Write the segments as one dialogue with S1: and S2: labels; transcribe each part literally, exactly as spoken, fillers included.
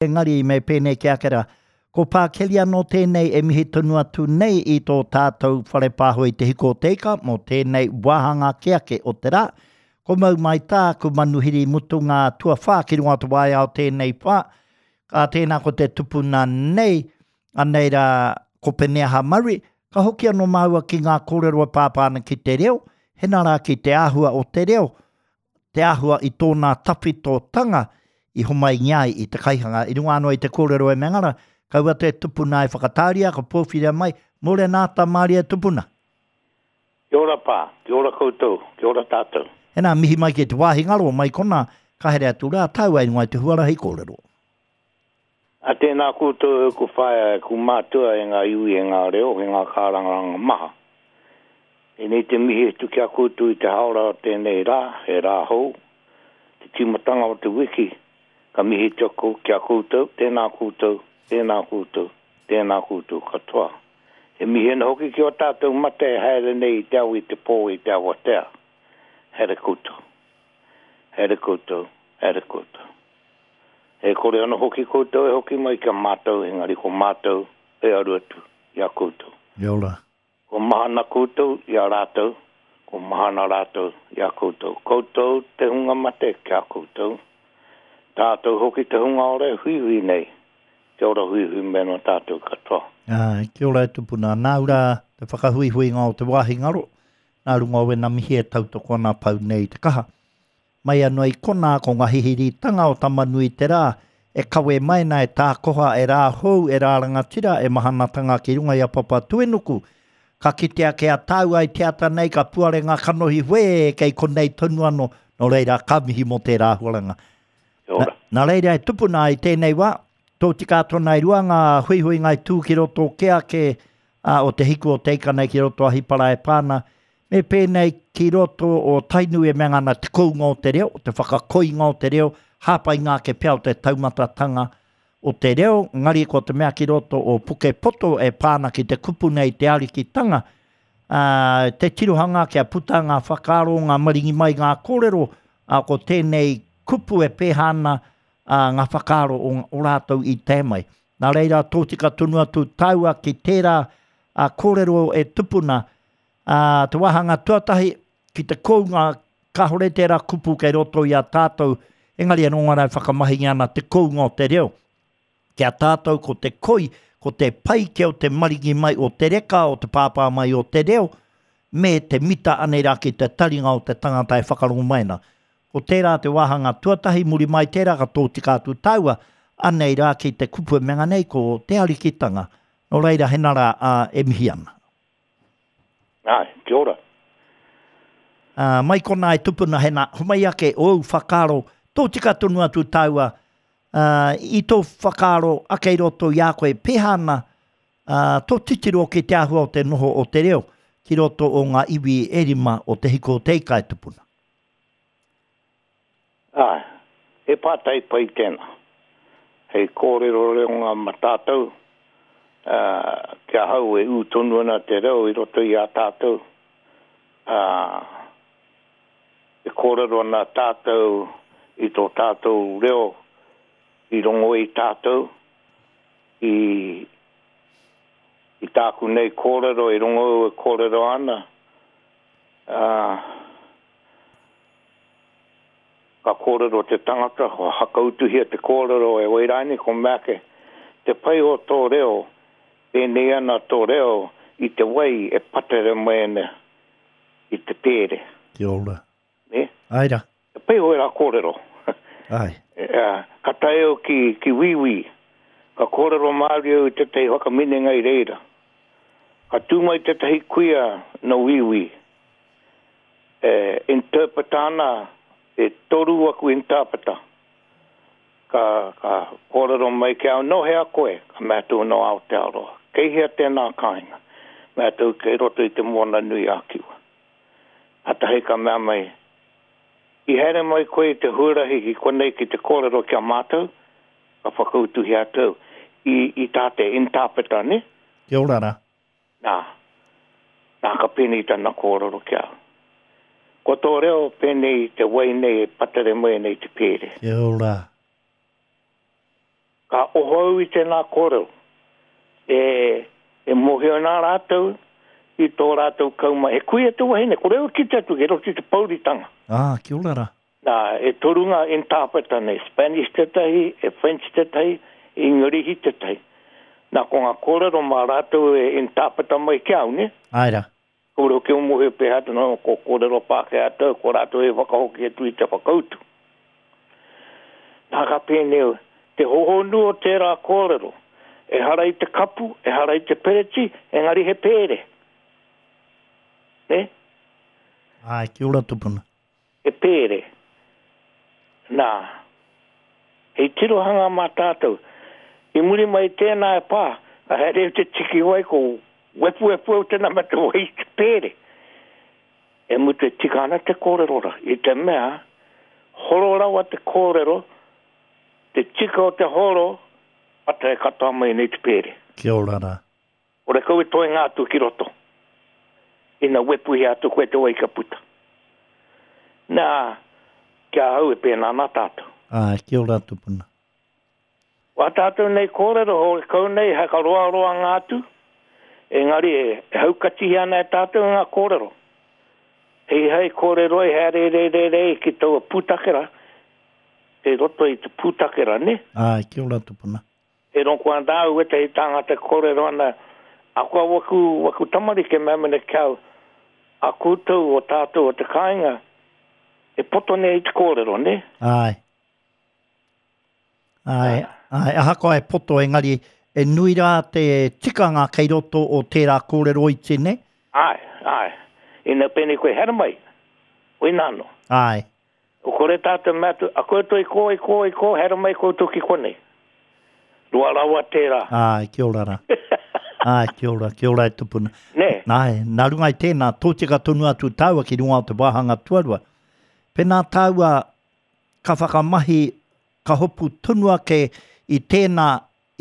S1: Engari me pēnei ki ake rā, ko Pākeli anō tēnei e mihi tonu atu nei i tō tātou whare pāho i Te Hiko o Te Ika mō tēnei wāhanga ake ake o te rā. Ko mau mai tāku manuhiri mutunga tuawhā ki runga o te waea o tēnei whā. Ka tēnā ko te tupuna nei, anei rā ko Peneaha Murray, ka hoki anō māua ki ngā kōrero e pāpā ana ki te reo, hena rā ki te āhua o te reo, te āhua i tōna tawhitotanga i homaingia ai i te kaihanga. I runga anō i te kōrero e Mengara, kaua te tupuna e whakatāria, ka pōwhiria mai, mōrena ata mārie tupuna.
S2: Kia ora pā, kia ora koutou, kia ora tātou.
S1: Hena, mihi mai ki te wāhi ngaro, mai kona, ka here atu rā, tāua i runga i te huarahi kōrero.
S2: A tēnā koutou e ku whaea, e ku mātua, e ngā iwi, e ngā reo, e ngā kārangaranga maha. Tēnei te mihi atu ki a koutou i te haora o tēnei rā, he rā hou, te tīmatanga o te wiki, ka mihi atu ki a koutou, tēnā koutou, tēnā koutou, tēnā koutou katoa. He mihi ana hoki ki o tātou mate e haere nei i te ao i te pō i te awatea. Haere koutou. Haere koutou, haere koutou. E kore ana hoki koutou e hoki mai ki a mātou, engari ko mātou e aru atu i a koutou.
S1: Kia ora.
S2: Ko mahana koutou i a rātou, ko mahana rātou i a koutou. Koutou te hunga mate ki a koutou. Tātou hoki te hunga ora e huihui nei. Kia ora huihui me no tātou katoa.
S1: Ai, kia ora e tupuna. Nāu rā te whakahuihuinga o te wāhi ngaro, nā runga o wena mihi e tautoko ana pau nei te kaha. Mai anō i konā ko ngā hihiritanga o Tamanui te rā, e kawe mai na e tākoha, e rā hou, e rā rangatira, e mahanatanga ki runga i a Papatuenuku. Ka kitea ke a tāua i te ata nei, ka puare ngā kanohi wē, kei konei tonu anō, nō reira ka mihi mō tērā āhuaranga.
S2: Kia ora.
S1: Nā, nā reira e tupuna i tēnei wā, tō tika tōna i rua ngā huihui ngai tū ki roto ke ake a, o te hiku o te ika nei ki roto Ahipara e pāna, me pēnei ki roto o Tainui e mea ana te kounga o te reo, te whakakoinga o te reo, hāpai ngā ke pea o te taumatatanga o te reo, ngari ko te mea ki roto o Pukepoto e pāna ki te kupu nei te arikitanga, ā, te tirohanga kia puta ngā whakaaro, ngā maringi mai ngā kōrero, ā, ko tēnei kupu e pēhā ana ā, ngā whakaaro o, o rātou i te mai. Nā reira, tōtika tonu atu tāua ki tērā ā, kōrero e tupuna, ā, te wāhanga tuatahi ki te kounga, kāhore tērā kupu kei roto i a tātou, engari anō ngā rā e whakamahingia ana te kounga o te reo. Ki a tātou ko te koi, ko te pai kia o te maringi mai o te reka, o te pāpā mai o te reo, me te mita anei rā ki te taringa o te tangata e whakarongo mai ana. Ko tērā te wāhanga tuatahi, muri mai tērā ka tōtika atu tāua, anei rā ki te kupu e menga nei ko te arikitanga. Nō reira, hena rā, ā, e mihi ana.
S2: Ai, kia ora.
S1: Ā, mai kona e tupuna hena, homai ake ōu whakaaro, tōtika tonu atu tāua, ā, i tō whakaaro ake i roto i a koe, pēhā ana, ā, tō titiro ki te āhua o te noho o te reo, ki roto o ngā iwi e rima o te hiko o te ika e tupuna.
S2: Ai, he pātai pai tēnā. Hei kōrero reo ngā ma tātou, ā, kia hau e ū tonu ana te reo i roto i a tātou. Ā, e kōrero ana tātou i tō tātou reo i rongo i tātou, i, i tāku nei kōrero e rongo e kōrero ana, ā, ka kōrero te tangata, ko hakautuhia te kōrero e Wairani, ko mea ake, te pai o tō reo, pēnei ana tō reo i te wai e patere mai ana i te pēre.
S1: Kia ora.
S2: Ne?
S1: Ai rā.
S2: Te pai o era kōrero.
S1: Ai.
S2: E, ka tae au ki, ki Wīwī, ka kōrero Māori au i tētahi whakaminenga i reira. Ka tū mai tētahi kuia no Wīwī. E, interpreta ana, e toru aku interpreta. Ka, ka kōrero mai ki au, no hea koe, ka mea atu no Aotearoa. Kei hea tēnā kāinga. Mea atu kei roto i te moana nui a Kiwa. Atahi ka mea mai, i haere mai koe i te huarahi ki konei ki te kōrero ki a mātou, ka whakautuhi atu i, i tā te interpreta, ne?
S1: Kia ora rā.
S2: Nā, nā ka pēnei tana kōrero ki au. Ko tō reo pēnei te wai nei e patere mai nei te pēre.
S1: Kia ora.
S2: Ka oho au i tēnā kōrero. E, e mōhio nā rātou i tō rātou kauma. E kuia te wahine, kore au kite atu, ke roto i te pouritanga.
S1: Ah, kia ora rā.
S2: Nā, e toru ngā interpreter nei, Spanish tētahi, e French tētahi, Ingarihi tētahi. Nā, ko ngā kōrero mā rātou e interpreter mai ki au, ne?
S1: Ai rā.
S2: Kore hoki o mōhio pēhā te no, ko kōrero Pākehā tau, ko rātou e whakahoki atu i te whakautu. Nā ka pēnei, te hohonu o tērā kōrero, ehara i te kapu, ehara i te pereti, engari he pēre. Ne?
S1: Ai, kia ora tupuna.
S2: He pēre. Nā, hei tirohanga mā tātou. I muri mai tēnā e pā, ka haere au te tiki wai ko wepuwepu au tēnā me te wai te pēre. E mutu e tika ana te kōrero rā. I te mea, horo rawa te kōrero, te tika o te horo, ata e katoa mai nei te pēre.
S1: Kia ora rā.
S2: Ore kau e toe ngā atu ki roto. Ina wepuhi atu koe te wai ka puta. Nā, kia au e pēnā nā tātou.
S1: Ai, kia ora tupuna.
S2: Wā tātou nei kōrero, hore kau nei, haka roa roa ngā atu, engari e haukatihi ana e tātou ngā kōrero. Hei hei kōrero e haere re re re ki taua pūtakera, te roto i te pūtakera, ne?
S1: Ai, kia ora tupuna.
S2: E rongo ana au e te tāngata kōrero ana, a kua waku, waku tamariki me mene kau, a koutou o tātou o te kāinga, e poto nei i te kōrero, ne?
S1: Ai. Ai, ai, ahakoa e poto engari, e nui rā te tikanga kei roto o tērā kōrero iti, ne?
S2: Ai, ai. Ina pēnei koe here mai, oi nāno.
S1: Ai.
S2: O kore tātou mea atu, a koutou i kō, i kō, i kō, here mai koutou ki konei. Roa rawa tērā.
S1: Ai, kia ora rā. Ai, kia ora, kia ora e tupuna.
S2: Ne?
S1: Ai, nā runga i tēnā, tōtika tonu atu tāua ki runga o te wāhanga tuarua. Pēnā tāua ka whakamahi, ka hopu tonu ake i tēnā,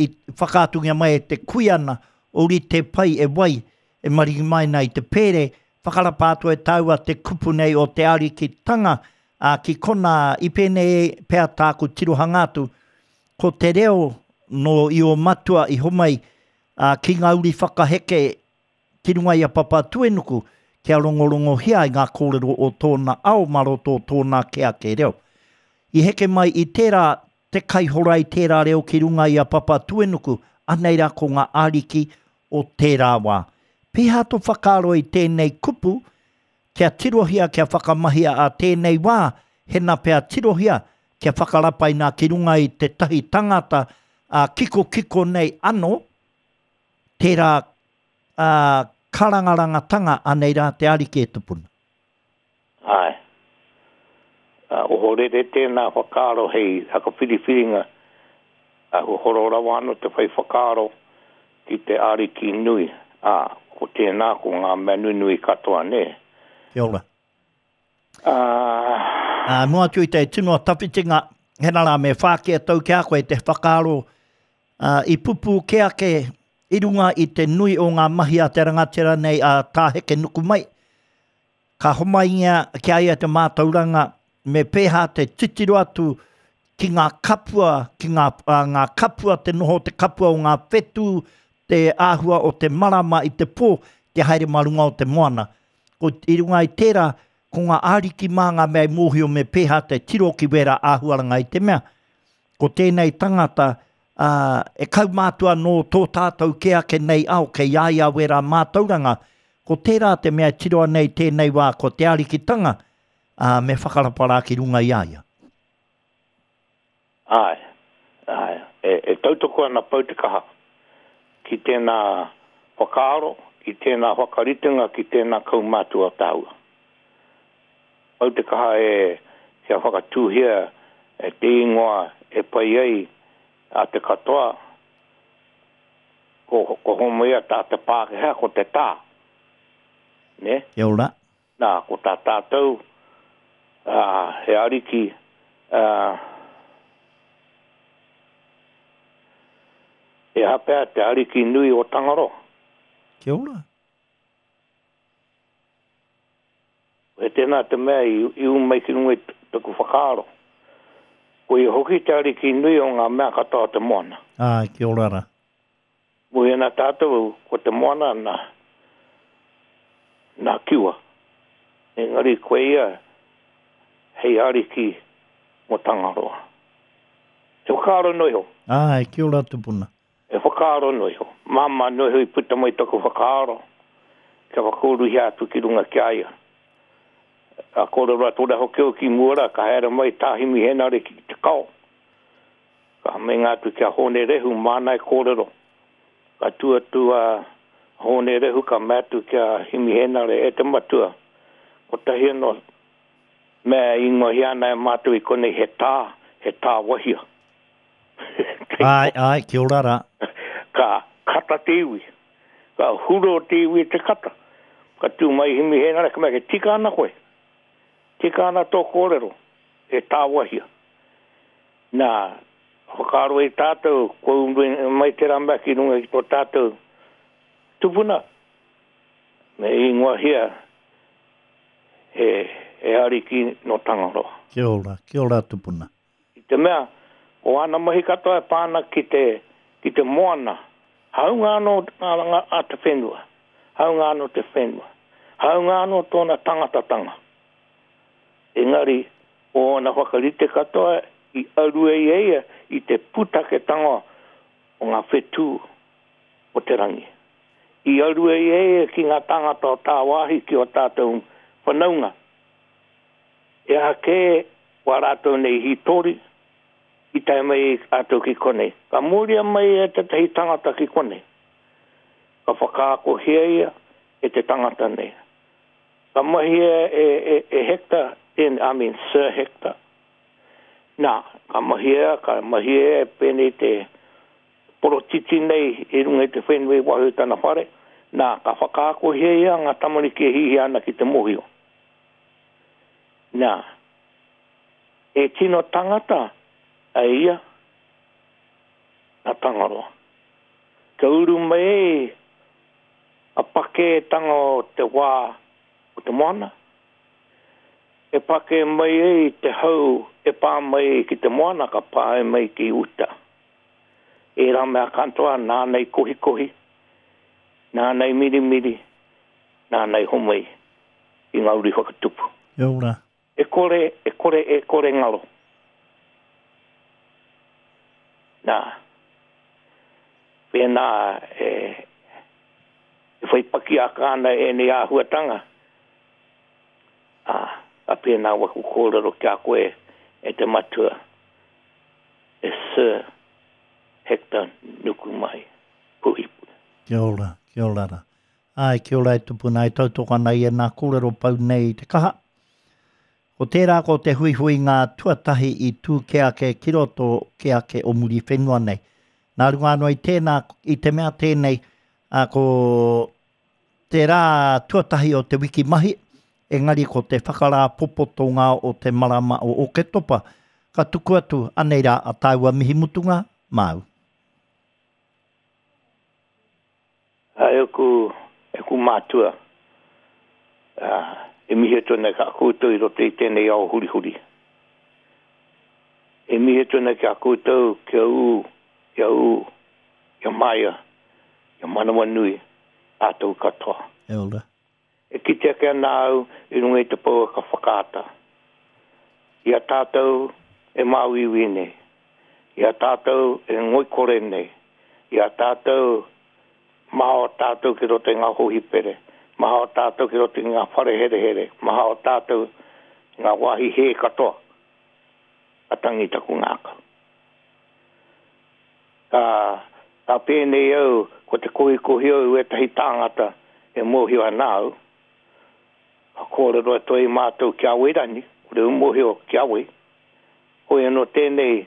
S1: i whakaatungia mai e te kuiana, ori te pai e wai, e maringi mai nei te pēre, whakarapa atu e tāua te kupu nei o te arikitanga, a, ki kona i pēnei pea tāku tirohanga atu, ko te reo no i o matua i homai, a, ki ngā uri whakaheke ki runga i a Papatūānuku, kia rongorongohia i ngā kōrero o tōna ao mā roto o tōna ke ake reo. I heke mai i tērā te kaihora i tērā reo ki runga i a Papatūānuku, anei rā ko ngā ariki o tērā wā. Pēhā tō whakaaro i tēnei kupu, kia tirohia, kia whakamahia a tēnei wā, hena pea tirohia, kia whakarapaina ki runga i te tahi tangata a kiko kiko nei ano, tērā a, karangarangatanga anei rā te ariki e tupuna.
S2: Ai. Uh, ohorere tēnā whakaaro hei hakawhiriwhiringa, a horo rawa ano te whai whakaaro ki te ariki nui. A, ko tēnā ko ngā mea nunui katoa, ne?
S1: Kia ora.
S2: Uh,
S1: uh, mua atu i te tino tawhitinga, hena rā me whāki a tau ki a koe te whakaaro uh, i pupu ke ake i runga i te nui o ngā mahi a te rangatira nei a Tāheke Nuku mai. Ka homaingia ki a ia te mātauranga me pēhā te titiro atu ki ngā kapua, ki ngā, uh, ngā kapua, te noho te kapua o ngā whetū, te āhua o te marama i te pō, te haere mā runga o te moana. Ko i runga i tērā, ko ngā āriki mā ngā mea i mōhio me pēhā te tiro ki wērā āhuaranga i te mea. Ko tēnei tangata, uh, e kaumātua nō tō tātou ke ake nei ao, kei a ia wērā mātauranga. Ko tērā te mea tiroa nei tēnei wā, ko te arikitanga, uh, me whakarapa ki runga i a ia.
S2: Ai, ai. E, e tautoko ana pau te kaha ki tēnā whakaaro, ki tēnā whakaritenga, ki tēnā kaumātua tāua. Pau te kaha e kia whakatūhia e te ingoa e pai ai a te katoa, ko, ko homoia tā te Pākehā, ko te tā. Ne?
S1: Kia ora.
S2: Nā, ko tā tātou, uh, he ariki, uh, e hapea te ariki nui o Tangaroa.
S1: Kia ora.
S2: E tēnā te mea i, i umai ki runga i taku whakaaro. Ko ia hoki te ariki nui o ngā mea katoa o te moana.
S1: Ai, kia ora ra.
S2: Mōhio ana tātou ko te moana nā, nā Kiwa. Engari koe ia hei ariki mō Tangaroa. He whakaaro noa iho.
S1: Ai, kia ora tupuna.
S2: He whakaaro noa iho. Māmā noa iho i puta mai taku whakaaro kia whakauruhia atu ki runga ki a ia. Ka kōrero atu rā hoki au ki mua rā, ka haere mai tā Himi Henare ki te kao. Ka meinga atu ki a Hōne Rehu māna e kōrero. Ka tū atu a Hōne Rehu ka mea atu ki a Himi Henare, e te matua, kotahi anō mea e ingoahia ana e mātou i konei he tā, he tā wahia.
S1: Āe, āe, kia ora rā.
S2: Ka kata te iwi. Ka huro te iwi i te kata. Ka tū mai Himi Hēnare, ka mea, e tika ana koe. Tika ana tō kōrero, e tāwahia. Nā, whakaaro ai tātou, kua uru mai tērā mea ki runga ki tō tātou tupuna, me ingoahia he, he ariki nō Tangaroa.
S1: Kia ora, kia ora tupuna.
S2: I te mea, ko āna mahi katoa e pā ana ki te, ki te moana, hāunga anō ngā, a te whenua, hāunga anō te whenua, hāunga anō tōna tangatatanga. Engari, ko ōna whakarite katoa i aru ai e ia i te pūtaketanga o ngā whetū o te rangi. I aru ai e ia ki ngā tāngata o tāwāhi ki ō tātou whanaunga. He aha kē wā rātou nei hītori i tae mai ai rātou ki konei. Ka mōria mai e tētahi tangata ki konei. Ka whakaakohia ia e te tangata nei. Ka mahia e, e, e Hector, tēnei, I mean Sir Hector. Nā, ka mahia, ka mahia e pēnei te porotiti nei i runga i te whenua i waho i tana whare. Nā, ka whakaakohia ia ngā tamariki e hihia ana ki te mōhio. Nā, e tino tangata a ia, nā Tangaroa. Ka uru mai ai a pakētanga o te wā o te moana, e pakē mai ai te hau e pā mai ai ki te moana ka pā mai ki uta. Ērā mea katoa nāna i kohikohi, nāna i mirimiri, nāna i homai i ngā uri whakatupu.
S1: Kia ora.
S2: E kore, e kore, e kore ngaro. Nā, pēnā e, e whai pakiaka ana ēnei āhuatanga, ā, ka pēnā waku kōrero ki a koe e te matua, e Sir Hector Nukumai Puhipuhi.
S1: Kia ora, kia ora rā. Āe, kia ora e tupuna, e tautoko ana i ēnā kōrero pau nei i te kaha. Ko tērā ko te huihuinga tuatahi i tū kē ake ki roto kē ake o Muriwhenua nei. Nā runga anō i tēnā, i te mea tēnei, ā, ko te rā tuatahi o te wiki mahi, engari ko te whakarāpopotonga o te marama o Oketopa, ka tuku atu, anei rā a tāua mihi mutunga, māu.
S2: E aku, e aku mātua, e mihi atu ana ki a koutou i roto i tēnei ao hurihuri. E mihi atu ana ki a koutou kia ū, kia ū, kia māia, kia manawanui, tātou katoa.
S1: E ora.
S2: E kite ake ana au i runga i te pouaka whakaata. I a tātou e māuiui nei, i a tātou e ngoikore nei, i a tātou maha o tātou ki roto i ngā hōhipere, maha o tātou ki roto i ngā whare herehere, maha o tātou i ngā wāhi hē katoa, ka tangi taku ngākau. Ka, ka pēnei au, ko te kohikohi au i ētahi tāngata e mōhio ana au, ka kōrero atu ai mātou ki a Wairani, kore au mōhio ki a wai, hoi anō tēnei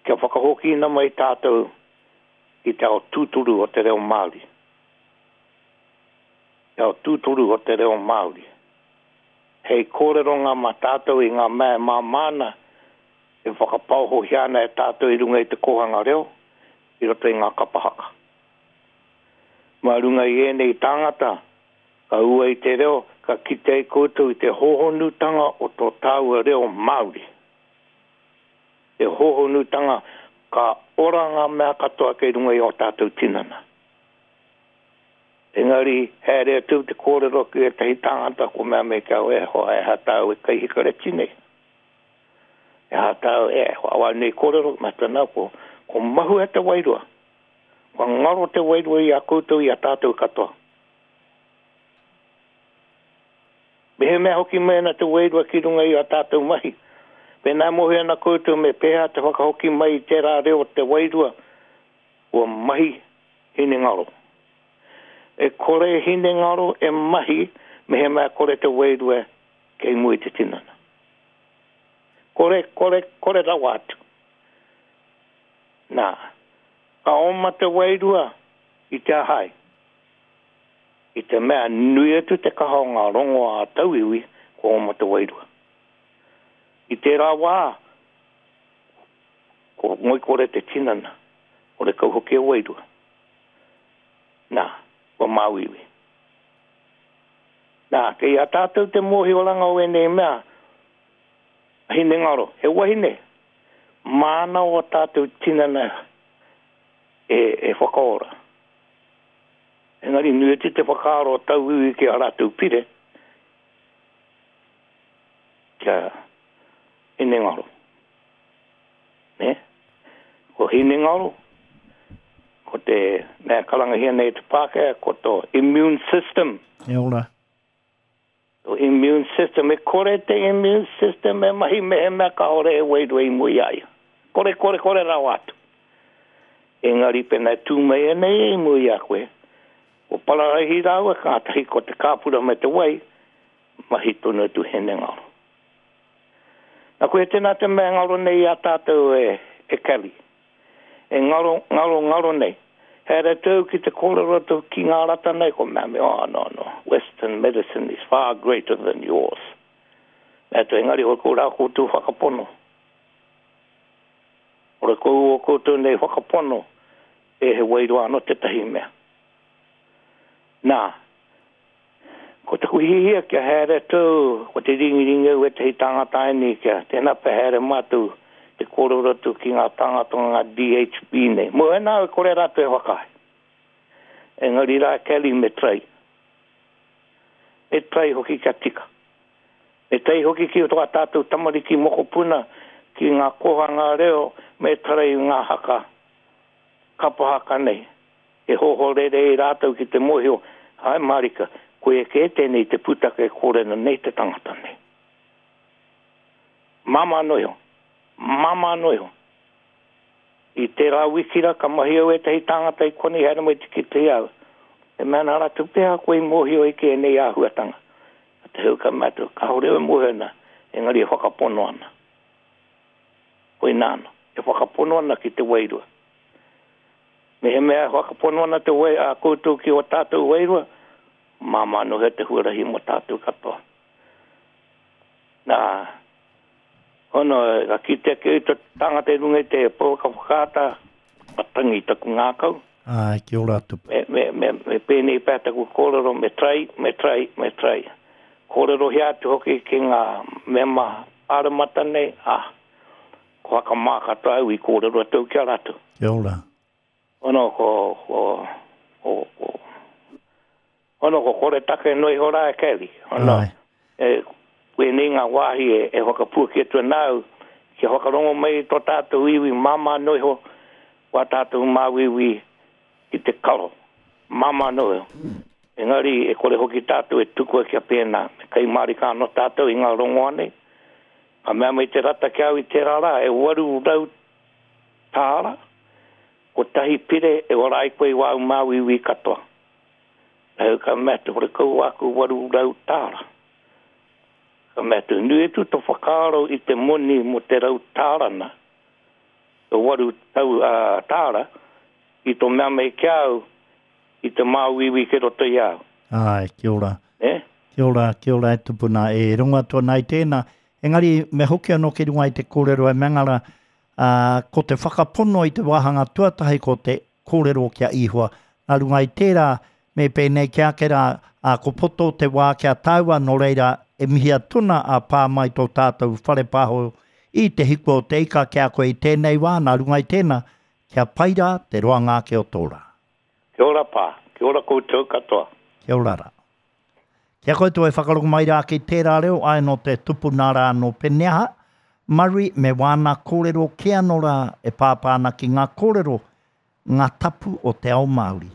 S2: kia whakahokina mai tātou i te ao tūturu o te reo Māori. Te ao tūturu o te reo Māori. Hei kōreronga mā tātou i ngā mea e māmā ana, e whakapaohohia ana e tātou i runga i te kōhanga reo, i roto i ngā kapa haka. Mā runga i ēnei tāngata, ka ua i te reo, ka kite ai koutou i te hōhonutanga o tō tāua reo Māori. Te hōhonutanga, ka ora ngā mea katoa kei runga i o tātou tinana. Engari, haere atu te kōrero ki ētahi tāngata ko mea me kia e hoa e hatau e kai hikareti nei. E hatau e hoa wā nei kōrero, matana ko, ko mahu e te wairua. Kua ngaro te wairua i a koutou i a tātou katoa. Me he mea hoki mai ana te wairua ki runga i a tātou mahi. Pēnā mohi ana koutou me pēhea te whakahoki mai i tērā reo te wairua, ua mahi hinengaro. E kore hinengaro e mahi me he mea kore te wairua kei mua i te tinana. Kore, kore, kore rawa atu. Nā, ka oma te wairua i te ahai. I te mea nui atu te kaha o ngā rongo a tauiwi, ko oma te wairua. I tērā wā, ko ngoikore te tinana, kore kau hoki e wairua. Nā, kua māuiwi. Nā, kei a tātou te mōhioranga o ēnei mea, hinengaro, he wahine, māna o tātou tinana e, e whakaora. Engari nui atu te whakaaro o tauiwi ki a rātou pire, kia hinengaro. Ne? Ko hinengaro, ko te mea karangahia nei te Pākehā, ko tō immune system.
S1: E ora.
S2: Tō immune system, e kore te immune system e mahi mehemea kāore e wairua i mua i a ia. Kore, kore, kore rawa atu. Engari pēnā e tū mai ana ia i mua i a koe, ko pararaihi rāua, kātahi ko te kāpura me te wai, mahi tonu atu hinengaro. Nā koe tēnā te mea ngaro nei i a tātou e, e Kelly. E ngaro, ngaro, ngaro nei. Haere tau ki te kōrero atu ki ngā rata nei, ko mea me, oh, no, no, Western medicine is far greater than yours. Mea atu, engari hoi ko rā koutou whakapono. Ora kou o koutou nei whakapono, e he wairua anō tētahi mea. Nā, ko taku hihia kia haere tau, ko te ringiringi au ētahi tāngata ēnei kia tēnā pea haere mātou te kōrero atu ki ngā tāngata o ngā D H B nei. Mō ēnā e kore rātou e whakaae. Engari rā Kelly me trai. Me trai hoki kia tika. Me trai hoki ki tō tātou tamariki mokopuna ki ngā kōhanga reo me trai ngā haka kapa haka nei. E hohorere i rātou ki te mōhio, hai marika, koe kē tēnei te pūtake e kōrena nei te tangata nei. Māmā noa iho. Māmā noa iho. I tērā wiki rā, ka mahi au ētahi tāngata i konei haere mai te kite i au. E mea ana rātou pea koe i mōhio i ki ēnei āhuatanga. A te hau ka mea atu, kāore au e mōhio ana, engari e whakapono ana. Koinā ana, e whakapono ana ki te wairua. Me he mea e whakapono ana te wai, a koutou ki o tātou wairua, māmā noa he te huarahi mō tātou katoa. Nā, hono, ka kite ake i te tangata i runga i te pouaka whakaata, ka tangi taku ngākau.
S1: Ai, kia ora atu.
S2: Me, me, me, me pēnei pea taku kōrero, me trai, me trai, me trai. Kōrero hea atu hoki ki ngā mema pāremata nei, ah, ko whakamā katoa au i kōrero atu ki a rātou.
S1: Kia ora.
S2: Hono, ko, ko, ko, ko, hono, ko kore take noa iho rā e Kelly. Hono, e, koe nei ngā wāhi e, e whakapuaki atu ana au, kia whakarongo mai tō tātou iwi māmā noa iho, wā tātou māuiui ki te karo. Māmā noa iho. Engari, e kore hoki tātou e tukua kia pēnā. Me kai mārika anō tātou i ngā rongoa nei. Ka mea mai te rata ki au i tērā rā, e waru rau tāra, kotahi pire e ora ai koe i wāu māuiui katoa. Nā ka mea te hore kau aku waru rau tāra. Ka mea te nui atu tō whakaaro i te moni mo te rau tārana, te waru tau, uh, tāra, i tō mea mei ki au, i te māuiui ki roto i au.
S1: Ai, kia ora.
S2: Eh?
S1: Kia ora, kia ora e tupuna. E rongo atu ana i tēnā. Engari, me hoki anō ki runga i te kōrero e Mangara, uh, ko te whakapono i te wāhanga tuatahi ko te kōrero kia Ihoa. Nā runga i tērā, me pēnei ki ake rā, uh, ko poto te wā kia tāua, nō reira e mihia tuna a pā mai tō tātou whare pāho i te hiku o te ika ki a koe i tēnei wā, nā runga i tēnā, kia pai rā te roanga ake o tō rā.
S2: Kia ora pā, kia ora koutou katoa.
S1: Kia ora rā. Kia koutou e whakarongo mai rā ki tērā reo, ai nō te tupuna rā nō Peneaha, Murray me wāna kōrero kē anō rā e pāpā ana ki ngā kōrero, ngā tapu o te ao Māori.